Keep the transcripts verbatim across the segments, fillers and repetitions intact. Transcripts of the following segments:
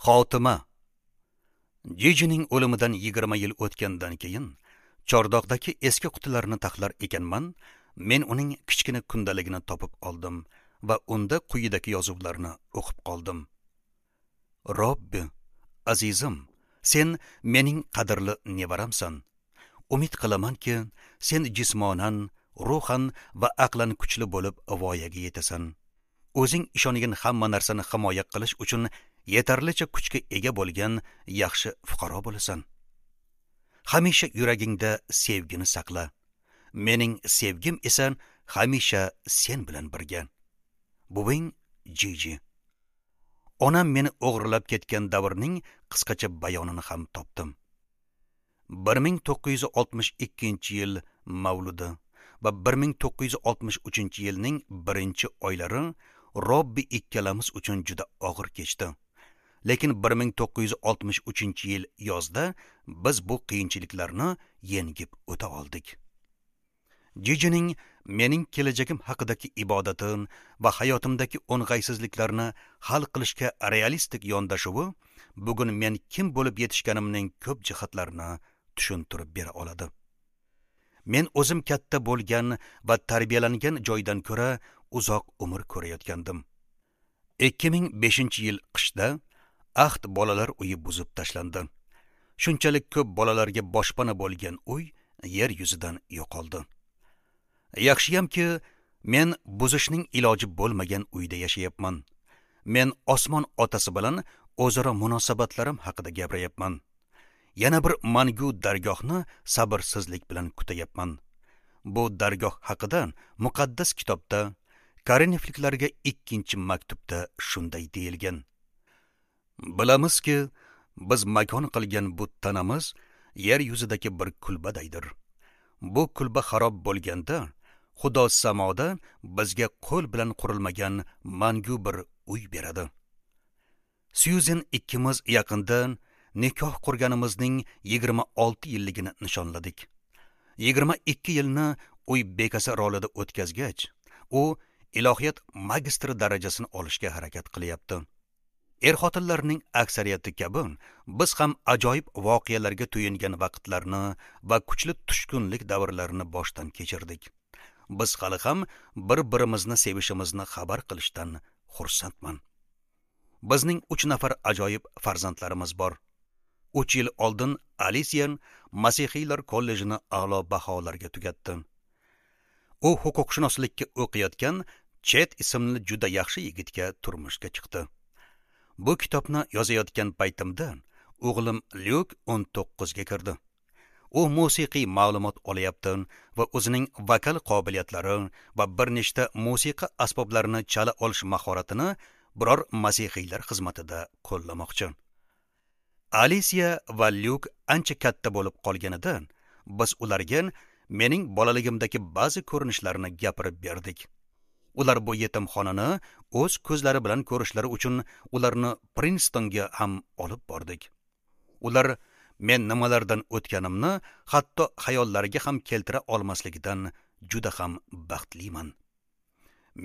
Xotima. Jijining o'limidan yigirma yil o'tgandan keyin chordoqdagi eski qutilarni taxlar ekanman, men uning kichkina kundaligini topib oldim va unda quyidagi yozuvlarni o'qib qoldim. Robbi, azizim, sen mening qadrli nevaramsan. Umid qilamanki, sen jismonan, ruhan va aqlan kuchli bo'lib voyaga yetasan. O'zing ishongan hamma narsani himoya qilish uchun yetarlicha kuchga ega bo'lgan yaxshi fuqaro bo'lasan. Hamisha yuragingda sevgini saqla. Mening sevgim esa hamisha sen bilan birga. Buving Jiji. Onam meni o'g'irlab ketgan davrning qisqacha bayonini ham topdim. bir ming to'qqiz yuz oltmish ikkinchi yil mavludi va bir ming to'qqiz yuz oltmish uchinchi yilning birinchi oylari Robbi ikkalamiz uchun juda og'ir kechdi. Lekin bir ming to'qqiz yuz oltmish uchinchi yil yozda biz bu qiyinchiliklarni yengib o'ta oldik. Jijining mening kelajagim haqidagi ibodatim va hayotimdagi o'ng'aysizliklarni hal qilishga realistik yondashuvi bugun men kim bo'lib yetishganimning ko'p jihatlarini tushuntirib bera oladi. Men o'zim katta bo'lgan va tarbiyalangan joydan ko'ra uzoq umr ko'rayotgandim. ikki ming beshinchi yil qishda Ahd bolalar uyi buzib tashlandi. Shunchalik ko'p bolalarga boshpana bo'lgan uy yer yuzidan yo'qoldi. Yaxshiyamki, men buzishning iloji bo'lmagan uyda yashayapman. Men osmon otasi bilan o'zaro munosabatlarim haqida gapiryapman. Yana bir mangu dargohni sabrsizlik bilan kutayapman. Bu dargoh haqida muqaddas kitobda Korinfliklarga ikkinchi maktubda shunday deyilgan. Bilamizki, biz makon qilgan bu tanamiz yer yuzidagi bir kulbadaydir. Bu kulba xarob bo'lganda, Xudo samoda bizga qo'l bilan qurilmagan mangu bir uy beradi. Syuzen ikkimiz yaqinda nikoh qurganimizning yigirma olti yilligini nishonladik. Yigirma ikki yilni uy bekasi rolida o'tkazgach, u ilohiyat magistri darajasini olishga harakat qilyapti. Er-xotinlarning aksariyati kabi biz ham ajoyib voqealarga to'yingan vaqtlarni va kuchli tushkunlik davrlarini boshdan kechirdik. Biz hali ham bir-birimizni sevishimizni xabar qilishdan xursandman. Bizning uch nafar ajoyib farzandlarimiz bor. Uch yil oldin Alisiya Masihiylar kollejini a'lo baholarga tugatdi. U huquqshunoslikka o'qiyotgan Chet ismli juda yaxshi yigitga turmushga chiqdi. Bu kitobni yozayotgan paytimda o'g'lim Lyuk o'n to'qqizga kirdi. U musiqiy ma'lumot olyapti va o'zining vokal qobiliyatlari va bir nechta musiqa asboblarini chala olish mahoratini biror masihiylar xizmatida qo'llamoqchi. Alisiya va Lyuk ancha katta bo'lib qolganida biz ularga mening bolaligimdagi ba'zi ko'rinishlarni gapirib berdik. Ular bu yetimxonani o'z ko'zlari bilan ko'rishlari uchun ularni Prinstonga ham olib bordik. Ular men nimalardan o'tganimni hatto xayollariga ham keltira olmasligidan juda ham baxtliman.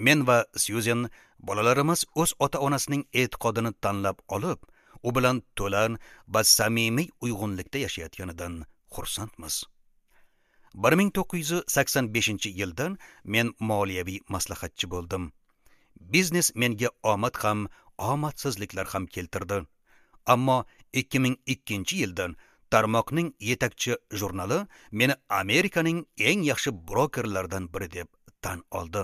Men va Syuzen bolalarimiz o'z ota-onasining e'tiqodini tanlab olib, u bilan to'la va samimiy uyg'unlikda yashayotganidan xursandmiz. bir ming to'qqiz yuz sakson beshinchi yildan men moliyaviy maslahatchi bo'ldim. Biznes menga omad ham, omadsizliklar ham keltirdi. Ammo ikki ming ikkinchi yildan tarmoqning yetakchi jurnali meni Amerikaning eng yaxshi brokerlaridan biri deb tan oldi.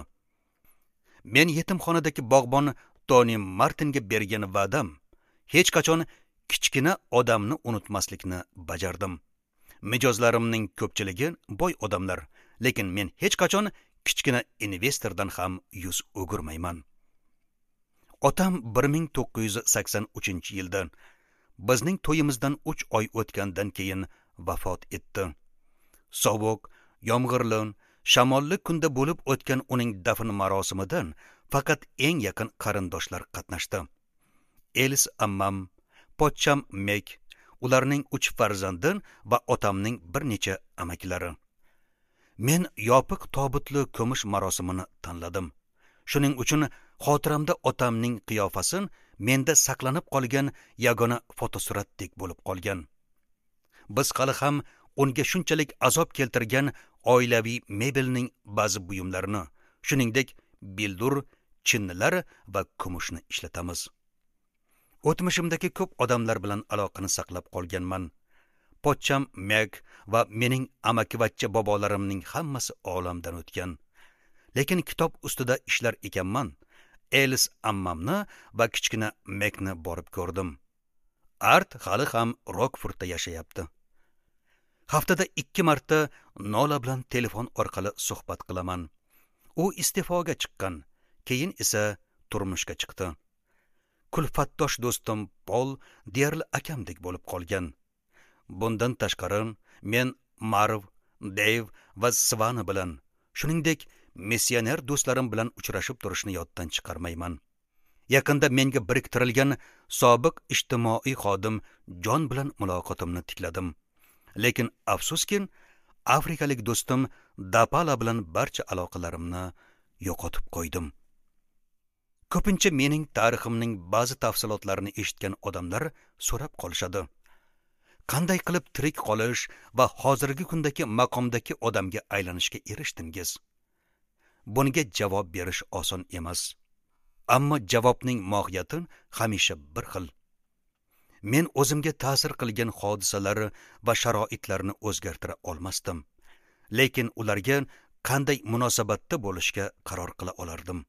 Men yetimxonadagi bog'bon Toni Martinga bergan va'dam hech qachon kichkina odamni unutmaslikni bajardim. Mijozlarimning ko'pchiligi boy odamlar, lekin men hech qachon kichkina investordan ham yuz o'girmayman. Otam bir ming to'qqiz yuz sakson uchinchi yilda bizning to'yimizdan uch oy o'tgandan keyin vafot etdi. Sovuq, yomg'irli, shamolli kunda bo'lib o'tgan uning dafn marosimidan faqat eng yaqin qarindoshlar qatnashdi. Elis ammam, pochcham Mek, ularning uch farzandi va otamning bir necha amakilari. Men yopiq tobutli ko'mish marosimini tanladim. Shuning uchun xotiramda otamning qiyofasi menda saqlanib qolgan yagona fotosuratdek bo'lib qolgan. Biz hali ham unga shunchalik azob keltirgan oilaviy mebelning ba'zi buyumlarini, shuningdek bildur, chinnilar va kumushni ishlatamiz. O'tmishimdagi ko'p odamlar bilan aloqani saqlab qolganman. Pochcham Meg va mening amakivachcha bobolarimning hammasi olamdan o'tgan. Lekin kitob ustida ishlar ekanman, Elis ammamni va kichkina Megni borib ko'rdim. Art hali ham Rokfordda yashayapti. Haftada ikki marta Nola bilan telefon orqali suhbat qilaman. U iste'foga chiqqan, keyin esa turmushga chiqdi. Kulfatdosh do'stim Pol deyarli akamdek bo'lib qolgan. Bundan tashqari men Marv, Deyv va Svana bilan, shuningdek missioner do'stlarim bilan uchrashib turishni yoddan chiqarmayman. Yaqinda menga biriktirilgan sobiq ijtimoiy xodim Jon bilan muloqotimni tikladim. Lekin afsuski, afrikalik do'stim Dapala bilan barcha aloqalarimni yo'qotib qo'ydim. Ko'pincha mening tariximning ba'zi tafsilotlarini eshitgan odamlar so'rab qolishadi. Qanday qilib tirik qolish va hozirgi kundagi maqomdagi odamga aylanishga erishdingiz? Bunga javob berish oson emas. Ammo javobning mohiyati hamisha bir xil. Men o'zimga ta'sir qilgan hodisalar va sharoitlarni o'zgartira olmasdim. Lekin ularga qanday munosabatda bo'lishga qaror qila olardim.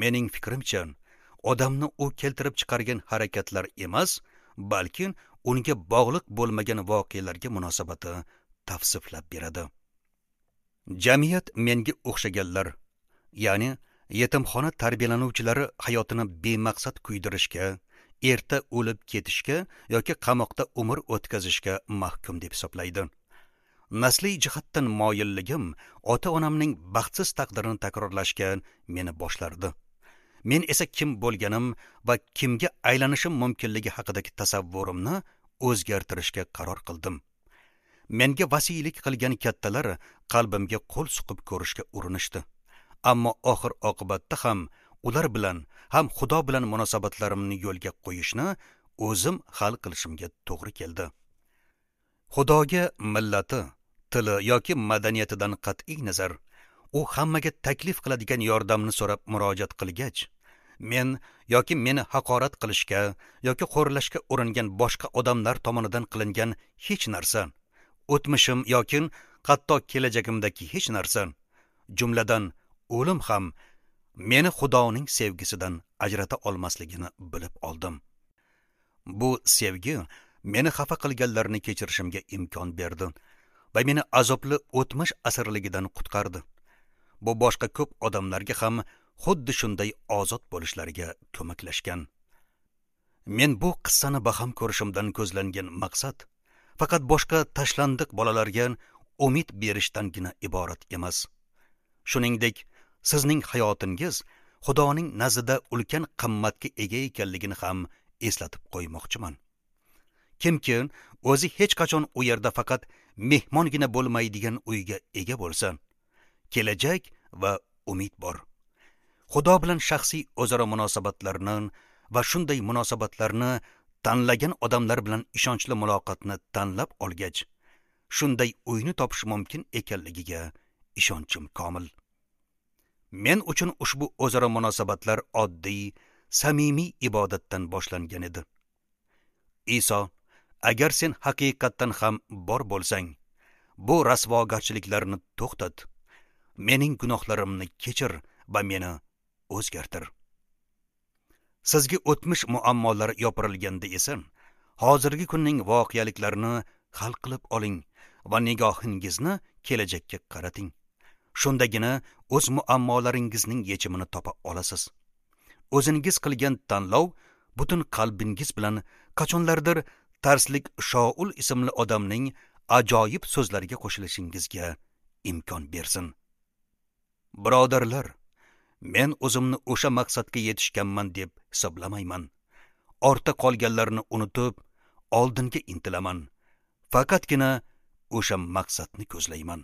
Mening fikrimcha, odamni u keltirib chiqargan harakatlar emas, balki unga bog'liq bo'lmagan voqealarga munosabati tavsiflab beradi. Jamiyat menga o'xshaganlar, ya'ni yetimxona tarbiyalanuvchilari hayotini bemaqsad kuydirishga, erta o'lib ketishga yoki qamoqda umr o'tkazishga mahkum deb hisoblaydi. Nasliy jihatdan moyilligim ota-onamning baxtsiz taqdirini takrorlashga meni boshlardi. Men esa kim bo'lganim va kimga aylanishim mumkinligi haqidagi tasavvurimni o'zgartirishga qaror qildim. Menga vasiylik qilgan kattalar qalbimga qo'l suqib ko'rishga urinishdi. Ammo oxir oqibatda ham ular bilan, ham Xudo bilan munosabatlarimni yo'lga qo'yishni o'zim hal qilishimga to'g'ri keldi. Xudoga millati, tili yoki madaniyatidan qat'iy nazar, u hammaga taklif qiladigan yordamni so'rab murojaat qilgach, men yoki meni haqorat qilishga yoki xo'rlashga uringan boshqa odamlar tomonidan qilingan hech narsa, o'tmishim yoki hatto kelajagimdagi hech narsa, jumladan o'lim ham meni Xudoning sevgisidan ajrata olmasligini bilib oldim. Bu sevgi meni xafa qilganlarni kechirishimga imkon berdi va meni azobli o'tmish asirligidan qutqardi. Bu boshqa ko'p odamlarga ham xuddi shunday ozod bo'lishlariga ko'maklashgan. Men bu qissani baham ko'rishimdan ko'zlangan maqsad faqat boshqa tashlandiq bolalarga umid berishdangina iborat emas. Shuningdek, sizning hayotingiz Xudoning nazdida ulkan qimmatga ega ekanligini ham eslatib qo'ymoqchiman. Kimki o'zi hech qachon u yerda faqat mehmongina bo'lmaydigan uyga ega bo'lsa, kelajak va umid bor. Xudo bilan shaxsiy o'zaro munosabatlarni va shunday munosabatlarni tanlagan odamlar bilan ishonchli muloqotni tanlab olgach, shunday uyni topish mumkin ekanligiga ishonchim komil. Men uchun ushbu o'zaro munosabatlar oddiy, samimiy ibodatdan boshlangan edi. Iso, agar sen haqiqatdan ham bor bo'lsang, bu rasvogarchiliklarni to'xtat, mening gunohlarimni kechir va meni o'zgartir. Sizga o'tmish muammolar yopirilganda esa, hozirgi kunning voqealiklarini hal qilib oling va nigohingizni kelajakka qarating. Shundagina o'z muammolaringizning yechimini topa olasiz. O'zingiz qilgan tanlov butun qalbingiz bilan qachonlardir Tarslik Shoul ismli odamning ajoyib so'zlariga qo'shilishingizga imkon bersin. Birodarlar, men o'zimni o'sha maqsadga yetishganman deb hisoblamayman. Ortda qolganlarni unutib, oldinga intilaman. Faqatgina o'sha maqsadni ko'zlayman.